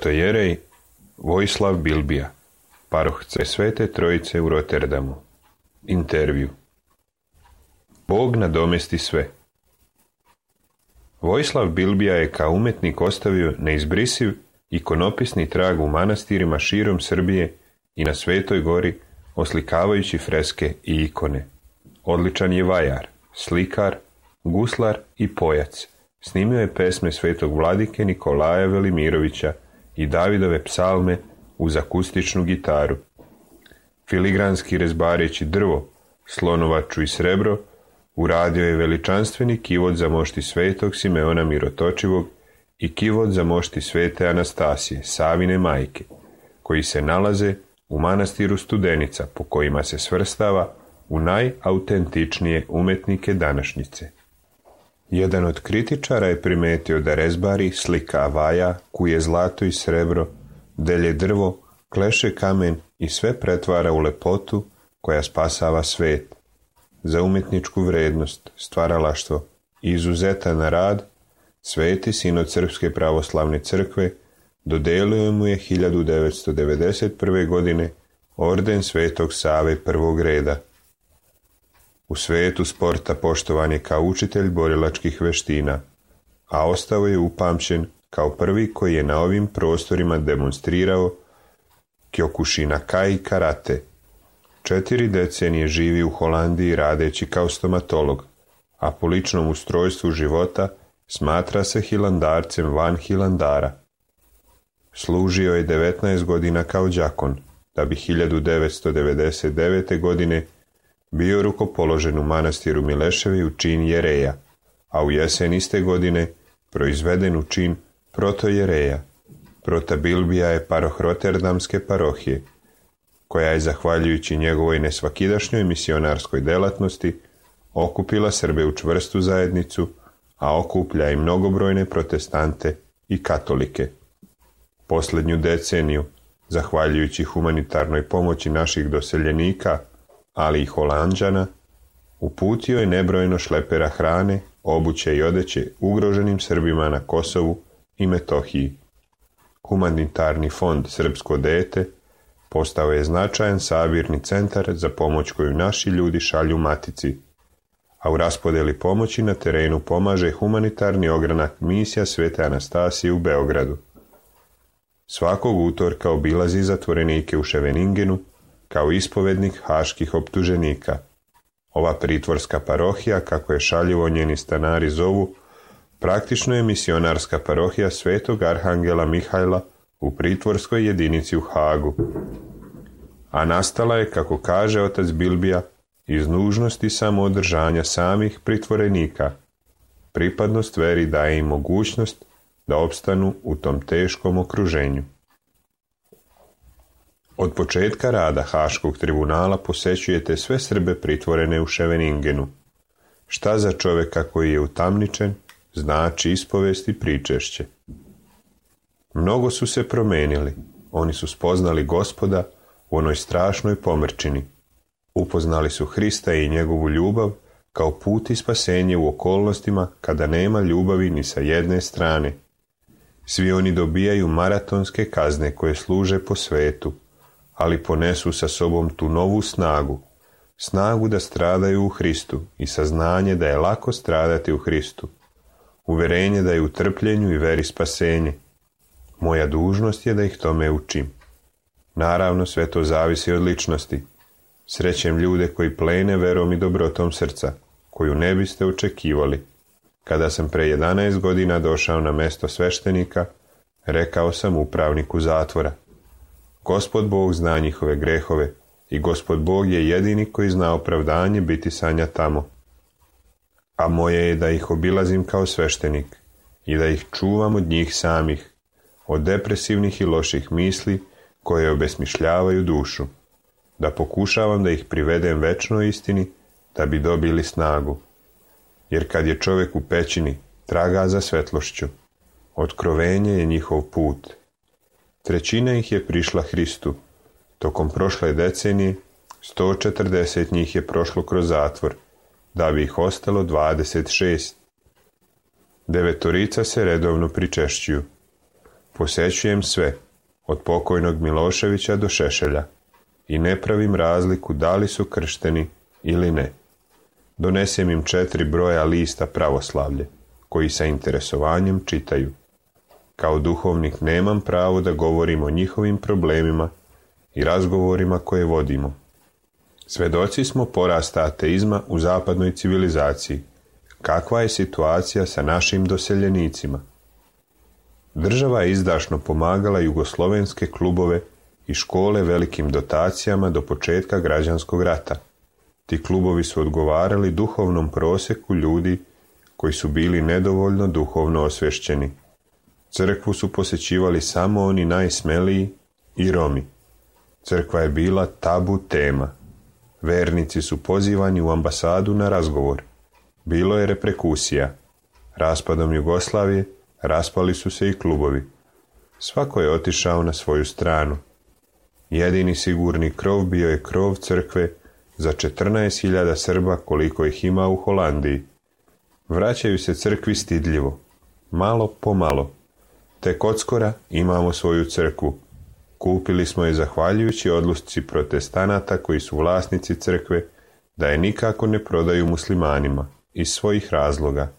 Protojerej Vojislav Bilbija, paroh Svete Trojice u Rotterdamu. Intervju. Bog nadomesti sve. Vojislav Bilbija je kao umetnik ostavio neizbrisiv ikonopisni trag u manastirima širom Srbije i na Svetoj gori, oslikavajući freske i ikone. Odličan je vajar, slikar, guslar i pojac. Snimio je pesme svetog vladike Nikolaja Velimirovića i Davidove psalme uz akustičnu gitaru. Filigranski rezbareći drvo, slonovaču i srebro, uradio je veličanstveni kivot za mošti svetog Simeona Mirotočivog i kivot za mošti svete Anastasije, Savine majke, koji se nalaze u manastiru Studenica, po kojima se svrstava u najautentičnije umetnike današnjice. Jedan od kritičara je primetio da rezbari slika vaja, kuje zlato i srebro, delje drvo, kleše kamen i sve pretvara u lepotu koja spasava svet. Za umetničku vrednost, stvaralaštvo i izuzetan rad, Sveti sinod Srpske pravoslavne crkve dodelio mu je 1991. godine orden Svetog Save prvog reda. U svetu sporta poštovan je kao učitelj borilačkih veština, a ostao je upamćen kao prvi koji je na ovim prostorima demonstrirao Kyokushinkai karate. 4 decenije živi u Holandiji radeći kao stomatolog, a po ličnom ustrojstvu života smatra se hilandarcem van hilandara. Služio je 19 godina kao đakon, da bi 1999. godine bio rukopoložen u manastiru Mileševi u čin jereja, a u jesen iste godine proizveden u čin protojereja. Prota Bilbija je paroh Roterdamske parohije, koja je, zahvaljujući njegovoj nesvakidašnjoj misionarskoj delatnosti, okupila Srbe u čvrstu zajednicu, a okuplja i mnogobrojne protestante i katolike. Posljednju deceniju, zahvaljujući humanitarnoj pomoći naših doseljenika, ali i Holanđana, uputio je nebrojeno šlepera hrane, obuće i odeće ugroženim Srbima na Kosovu i Metohiji. Humanitarni fond Srpsko dete postao je značajan sabirni centar za pomoć koju naši ljudi šalju matici, a u raspodjeli pomoći na terenu pomaže humanitarni ogranak misija Svete Anastasije u Beogradu. Svakog utorka obilazi zatvorenike u Ševeningenu kao ispovednik haških optuženika. Ova pritvorska parohija, kako je šaljivo njeni stanari zovu, praktično je misionarska parohija Svetog Arhangela Mihajla u pritvorskoj jedinici u Hagu. A nastala je, kako kaže otac Bilbija, iz nužnosti samoodržanja samih pritvorenika. Pripadnost veri daje im mogućnost da opstanu u tom teškom okruženju. Od početka rada Haškog tribunala posećujete sve Srbe pritvorene u Ševeningenu. Šta za čovjeka koji je utamničen znači ispovest i pričešće. Mnogo su se promenili, oni su spoznali Gospoda u onoj strašnoj pomrčini. Upoznali su Hrista i njegovu ljubav kao put i spasenje u okolnostima kada nema ljubavi ni sa jedne strane. Svi oni dobijaju maratonske kazne koje služe po svetu, ali ponesu sa sobom tu novu snagu da stradaju u Hristu i saznanje da je lako stradati u Hristu, uverenje da je u trpljenju i veri spasenje. Moja dužnost je da ih tome učim. Naravno, sve to zavisi od ličnosti. Srećem ljude koji plene verom i dobrotom srca, koju ne biste očekivali. Kada sam pre 11 godina došao na mesto sveštenika, rekao sam upravniku zatvora: Gospod Bog zna njihove grehove i Gospod Bog je jedini koji zna opravdanje biti sanja tamo. A moje je da ih obilazim kao sveštenik i da ih čuvam od njih samih, od depresivnih i loših misli koje obesmišljavaju dušu, da pokušavam da ih privedem večnoj istini da bi dobili snagu. Jer kad je čovjek u pećini, traga za svetlošću. Otkrovenje je njihov put. 1/3 ih je prišla Hristu. Tokom prošle decenije 140 njih je prošlo kroz zatvor, da bi ih ostalo 26. 9 se redovno pričešćuju. Posećujem sve, od pokojnog Miloševića do Šešelja, i ne pravim razliku da li su kršteni ili ne. Donesem im 4 broja lista pravoslavlje, koji sa interesovanjem čitaju. Kao duhovnik nemam pravo da govorim o njihovim problemima i razgovorima koje vodimo. Svedoci smo porasta ateizma u zapadnoj civilizaciji. Kakva je situacija sa našim doseljenicima? Država je izdašno pomagala jugoslovenske klubove i škole velikim dotacijama do početka građanskog rata. Ti klubovi su odgovarali duhovnom proseku ljudi koji su bili nedovoljno duhovno osvješćeni. Crkvu su posjećivali samo oni najsmeliji i Romi. Crkva je bila tabu tema. Vernici su pozivani u ambasadu na razgovor. Bilo je reperkusija. Raspadom Jugoslavije raspali su se i klubovi. Svako je otišao na svoju stranu. Jedini sigurni krov bio je krov crkve za 14.000 Srba koliko ih ima u Holandiji. Vraćaju se crkvi stidljivo, malo po malo. Tek odskora imamo svoju crkvu. Kupili smo je zahvaljujući odluci protestanata koji su vlasnici crkve da je nikako ne prodaju muslimanima iz svojih razloga.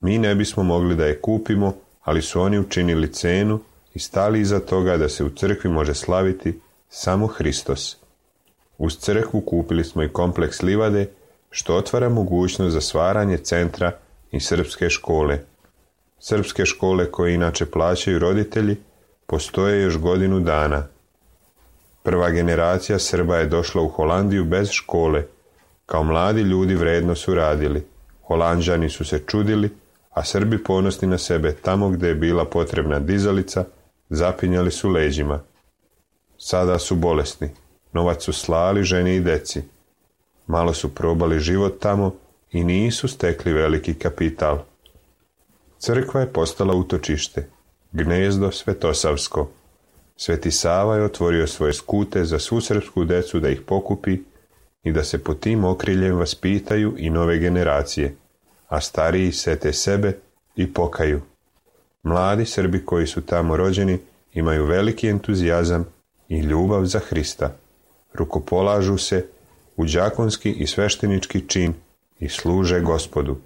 Mi ne bismo mogli da je kupimo, ali su oni učinili cenu i stali iza toga da se u crkvi može slaviti samo Hristos. Uz crkvu kupili smo i kompleks livade, što otvara mogućnost za stvaranje centra i srpske škole. Srpske škole koje inače plaćaju roditelji postoje još godinu dana. Prva generacija Srba je došla u Holandiju bez škole. Kao mladi ljudi vredno su radili. Holanđani su se čudili, a Srbi ponosni na sebe tamo gdje je bila potrebna dizalica, zapinjali su leđima. Sada su bolesni. Novac su slali ženi i deci. Malo su probali život tamo i nisu stekli veliki kapital. Crkva je postala utočište, gnezdo svetosavsko. Sveti Sava je otvorio svoje skute za svu srpsku decu da ih pokupi i da se pod tim okriljem vaspitaju i nove generacije, a stariji sete sebe i pokaju. Mladi Srbi koji su tamo rođeni imaju veliki entuzijazam i ljubav za Hrista. Rukopolažu se u đakonski i sveštenički čin i služe Gospodu.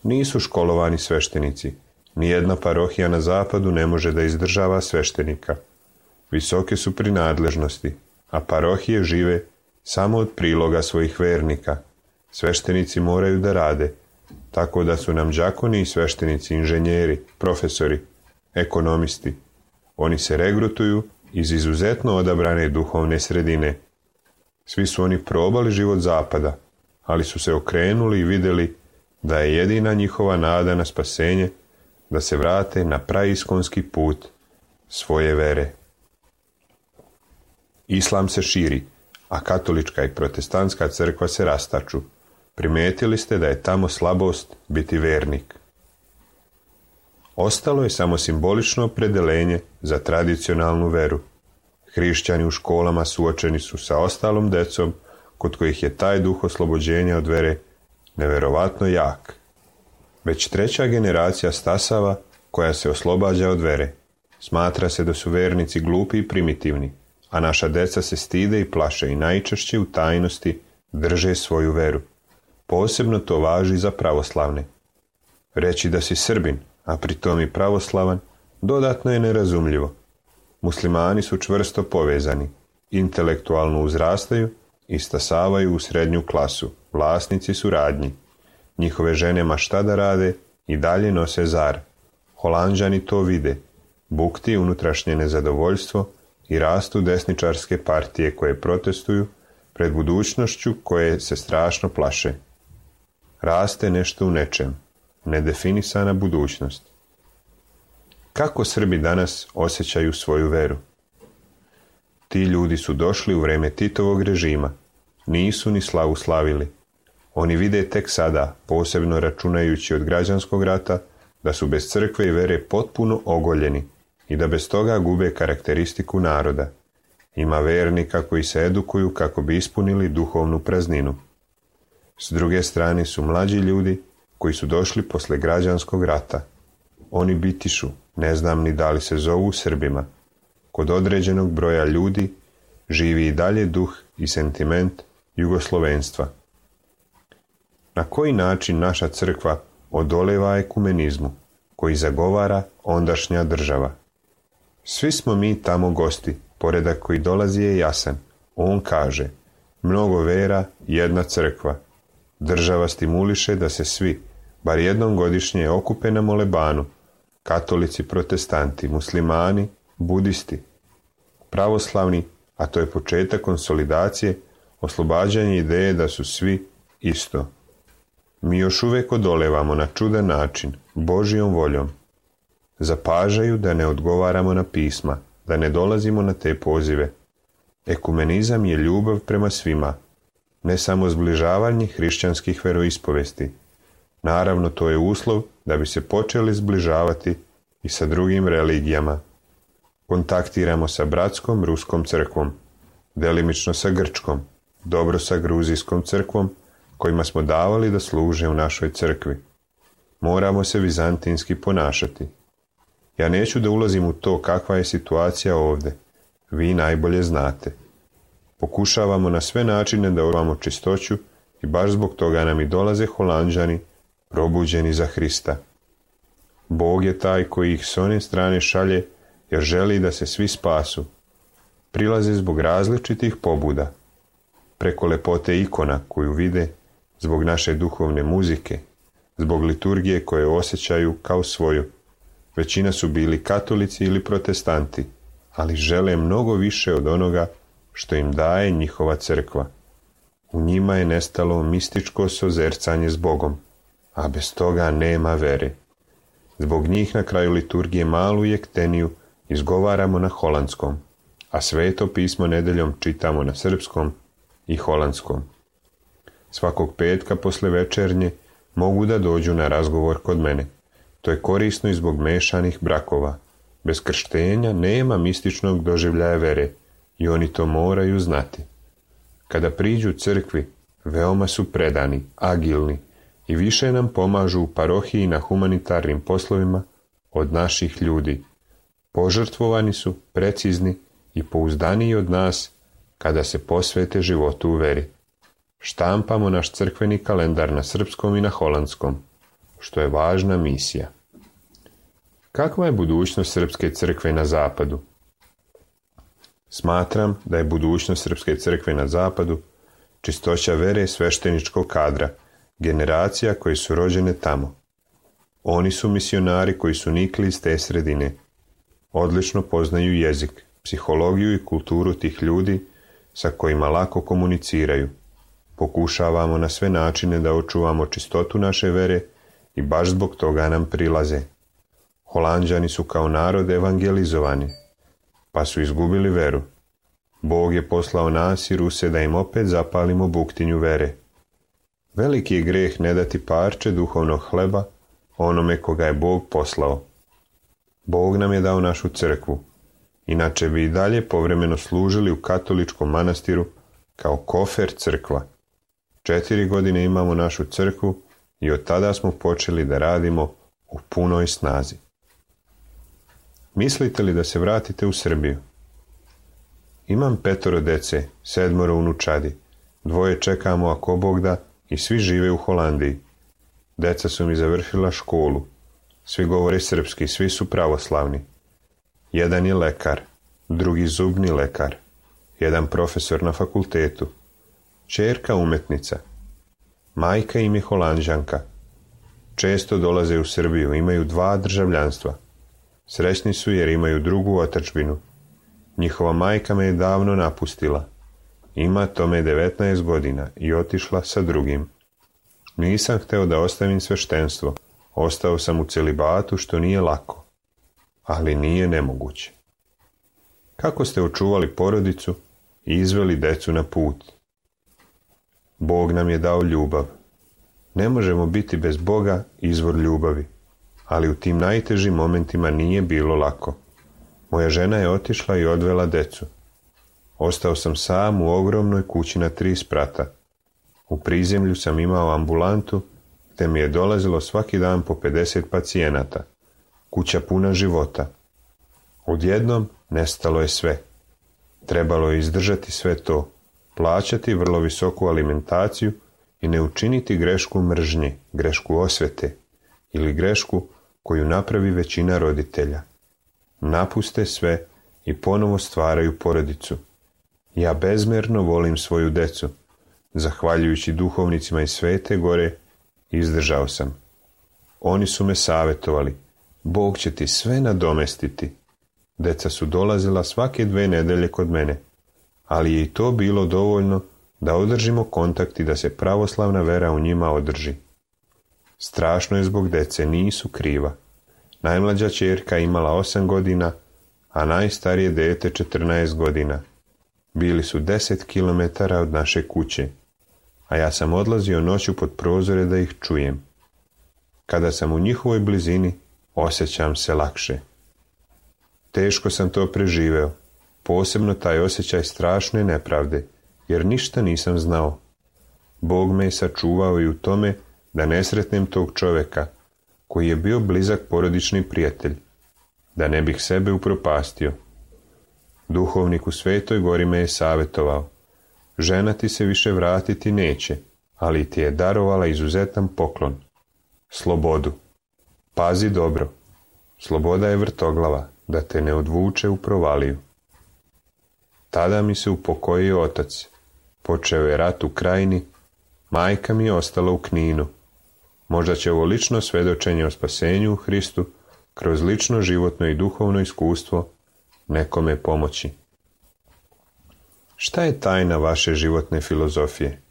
Nisu školovani sveštenici. Nijedna parohija na zapadu ne može da izdržava sveštenika. Visoke su prinadležnosti, a parohije žive samo od priloga svojih vernika. Sveštenici moraju da rade, tako da su nam đakoni i sveštenici inženjeri, profesori, ekonomisti. Oni se regrutuju iz izuzetno odabrane duhovne sredine. Svi su oni probali život zapada, ali su se okrenuli i vidjeli da je jedina njihova nada na spasenje da se vrate na praiskonski put svoje vere. Islam se širi, a katolička i protestantska crkva se rastaču. Primetili ste da je tamo slabost biti vernik. Ostalo je samo simbolično opredelenje za tradicionalnu veru. Hrišćani u školama suočeni su sa ostalom decom, kod kojih je taj duh oslobođenja od vere neverovatno jak. Već treća generacija stasava koja se oslobađa od vere. Smatra se da su vernici glupi i primitivni, a naša deca se stide i plaše i najčešće u tajnosti drže svoju veru. Posebno to važi za pravoslavne. Reći da si Srbin, a pritom i pravoslavan, dodatno je nerazumljivo. Muslimani su čvrsto povezani, intelektualno uzrastaju i stasavaju u srednju klasu, vlasnici su radnji. Njihove žene ma šta da rade i dalje nose zar. Holanđani to vide, bukti unutrašnje nezadovoljstvo i rastu desničarske partije koje protestuju pred budućnošću koje se strašno plaše. Raste nešto u nečem, nedefinisana budućnost. Kako Srbi danas osjećaju svoju veru? Ti ljudi su došli u vreme Titovog režima, nisu ni slavu slavili. Oni vide tek sada, posebno računajući od građanskog rata, da su bez crkve i vere potpuno ogoljeni i da bez toga gube karakteristiku naroda. Ima vernika koji se edukuju kako bi ispunili duhovnu prazninu. S druge strane su mlađi ljudi koji su došli posle građanskog rata. Oni bitišu, ne znam ni da li se zovu Srbima. Kod određenog broja ljudi živi i dalje duh i sentiment jugoslovenstva. Na koji način naša crkva odoleva ekumenizmu koji zagovara ondašnja država? Svi smo mi tamo gosti, poredak koji dolazi je jasan. On kaže, mnogo vera, jedna crkva. Država stimuliše da se svi, bar jednom godišnje, okupe na molebanu, katolici, protestanti, muslimani, budisti, pravoslavni, a to je početak konsolidacije, oslobađanje ideje da su svi isto. Mi još uvijek odolevamo na čudan način, Božjom voljom. Zapažaju da ne odgovaramo na pisma, da ne dolazimo na te pozive. Ekumenizam je ljubav prema svima, ne samo zbližavanje hrišćanskih veroispovesti. Naravno, to je uslov da bi se počeli zbližavati i sa drugim religijama. Kontaktiramo sa bratskom ruskom crkvom, delimično sa grčkom, dobro sa gruzijskom crkvom, kojima smo davali da služe u našoj crkvi. Moramo se vizantinski ponašati. Ja neću da ulazim u to kakva je situacija ovdje. Vi najbolje znate. Pokušavamo na sve načine da očuvamo čistoću i baš zbog toga nam i dolaze Holanđani probuđeni za Hrista. Bog je taj koji ih s one strane šalje jer želi da se svi spasu. Prilaze zbog različitih pobuda, preko lepote ikona koju vide, zbog naše duhovne muzike, zbog liturgije koje osjećaju kao svoju. Većina su bili katolici ili protestanti, ali žele mnogo više od onoga što im daje njihova crkva. U njima je nestalo mističko sozercanje s Bogom, a bez toga nema vere. Zbog njih na kraju liturgije malu jekteniju izgovaramo na holandskom, a sveto pismo nedeljom čitamo na srpskom i holandskom. Svakog petka posle večernje mogu da dođu na razgovor kod mene. To je korisno i zbog mešanih brakova. Bez krštenja nema mističnog doživljaja vere i oni to moraju znati. Kada priđu crkvi, veoma su predani, agilni i više nam pomažu u parohiji na humanitarnim poslovima od naših ljudi. Požrtvovani su, precizni i pouzdaniji od nas kada se posvete životu u veri. Štampamo naš crkveni kalendar na srpskom i na holandskom, što je važna misija. Kakva je budućnost srpske crkve na zapadu? Smatram da je budućnost srpske crkve na zapadu čistoća vere svešteničkog kadra, generacija koji su rođene tamo. Oni su misionari koji su nikli iz te sredine. Odlično poznaju jezik, psihologiju i kulturu tih ljudi sa kojima lako komuniciraju. Pokušavamo na sve načine da očuvamo čistotu naše vere i baš zbog toga nam prilaze. Holanđani su kao narod evangelizovani, pa su izgubili veru. Bog je poslao nas i Ruse da im opet zapalimo buktinju vere. Veliki je greh ne dati parče duhovnog hleba onome koga je Bog poslao. Bog nam je dao našu crkvu, inače bi i dalje povremeno služili u katoličkom manastiru kao kofer crkva. 4 godine imamo našu crkvu i od tada smo počeli da radimo u punoj snazi. Mislite li da se vratite u Srbiju? Imam 5 dece, 7 unučadi, 2 čekamo ako Bog da i svi žive u Holandiji. Deca su mi završila školu, svi govore srpski, svi su pravoslavni. Jedan je lekar, drugi zubni lekar, jedan profesor na fakultetu, ćerka umetnica, majka im je Holanđanka. Često dolaze u Srbiju, imaju 2 državljanstva. Srećni su jer imaju drugu otadžbinu. Njihova majka me je davno napustila. Ima tome 19 godina i otišla sa drugim. Nisam hteo da ostavim sveštenstvo. Ostao sam u celibatu što nije lako. Ali nije nemoguće. Kako ste očuvali porodicu i izveli decu na put? Bog nam je dao ljubav. Ne možemo biti bez Boga izvor ljubavi, ali u tim najtežim momentima nije bilo lako. Moja žena je otišla i odvela decu. Ostao sam sam u ogromnoj kući na 3 sprata. U prizemlju sam imao ambulantu, te mi je dolazilo svaki dan po 50 pacijenata. Kuća puna života. Odjednom nestalo je sve. Trebalo je izdržati sve to, plaćati vrlo visoku alimentaciju i ne učiniti grešku mržnje, grešku osvete ili grešku koju napravi većina roditelja. Napuste sve i ponovo stvaraju porodicu. Ja bezmjerno volim svoju decu. Zahvaljujući duhovnicima iz Svete Gore, izdržao sam. Oni su me savjetovali. Bog će ti sve nadomestiti. Deca su dolazila svake 2 nedelje kod mene, ali je i to bilo dovoljno da održimo kontakt i da se pravoslavna vera u njima održi. Strašno je zbog dece, nisu kriva. Najmlađa ćerka imala 8 godina, a najstarije dete 14 godina. Bili su 10 kilometara od naše kuće, a ja sam odlazio noću pod prozore da ih čujem. Kada sam u njihovoj blizini, osjećam se lakše. Teško sam to preživeo, posebno taj osjećaj strašne nepravde, jer ništa nisam znao. Bog me je sačuvao i u tome da ne sretnem tog čoveka, koji je bio blizak porodični prijatelj. da ne bih sebe upropastio. Duhovnik u Svetoj Gori me je savjetovao: žena ti se više vratiti neće, ali ti je darovala izuzetan poklon. Slobodu. Pazi dobro. Sloboda je vrtoglava, da te ne odvuče u provaliju. Tada mi se upokojio otac. Počeo je rat u Krajini, majka mi je ostala u Kninu. Možda će ovo lično svjedočenje o spasenju u Hristu, kroz lično životno i duhovno iskustvo, nekome pomoći. Šta je tajna vaše životne filozofije?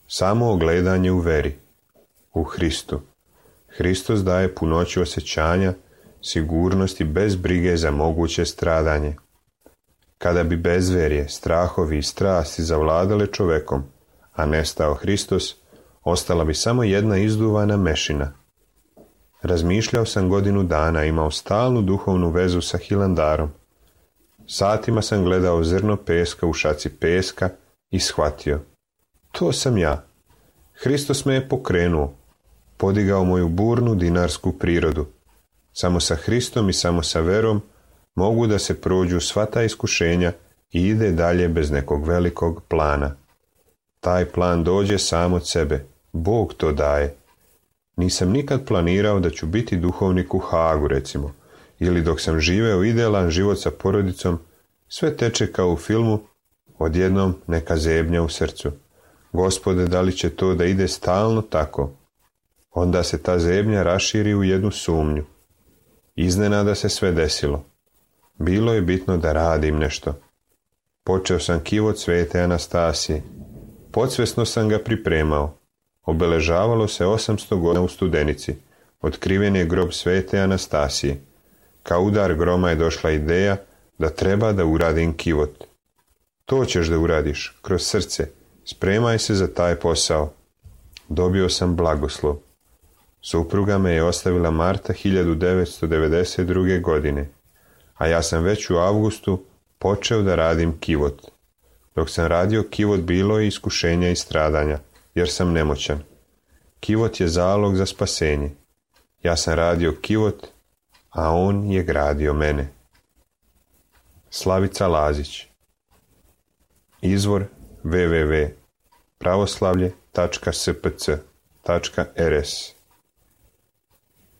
Samo ogledanje u veri, u Hristu. Hristos daje punoću osjećanja, sigurnosti bez brige za moguće stradanje. Kada bi bezverje, strahovi i strasti zavladale čovekom, a nestao Hristos, ostala bi samo jedna izduvana mešina. Razmišljao sam godinu dana, imao stalnu duhovnu vezu sa Hilandarom. Satima sam gledao zrno peska u šaci peska i shvatio: to sam ja. Hristos me je pokrenuo, podigao moju burnu dinarsku prirodu. Samo sa Hristom i samo sa verom mogu da se prođu sva ta iskušenja i ide dalje bez nekog velikog plana. Taj plan dođe sam od sebe, Bog to daje. Nisam nikad planirao da ću biti duhovnik u Hagu, recimo, ili dok sam živeo idealan život sa porodicom, sve teče kao u filmu, odjednom neka zebnja u srcu. Gospode, da li će to da ide stalno tako? Onda se ta zebnja raširi u jednu sumnju. Iznenada se sve desilo. Bilo je bitno da radim nešto. Počeo sam kivot Svete Anastasije. Podsvesno sam ga pripremao. Obeležavalo se 800 godina u Studenici. Otkriven je grob Svete Anastasije. Kao udar groma je došla ideja da treba da uradim kivot. To ćeš da uradiš, kroz srce. Spremaj se za taj posao. Dobio sam blagoslov. Supruga me je ostavila marta 1992. godine, a ja sam već u avgustu počeo da radim kivot. Dok sam radio kivot, bilo je iskušenja i stradanja, jer sam nemoćan. Kivot je zalog za spasenje. Ja sam radio kivot, a on je gradio mene. Slavica Lazić. Izvor www.pravoslavlje.spc.rs.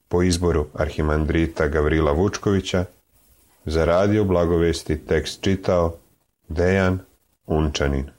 Po izboru arhimandrita Gavrila Vučkovića, za Radio Blagovesti tekst čitao Dejan Unčanin.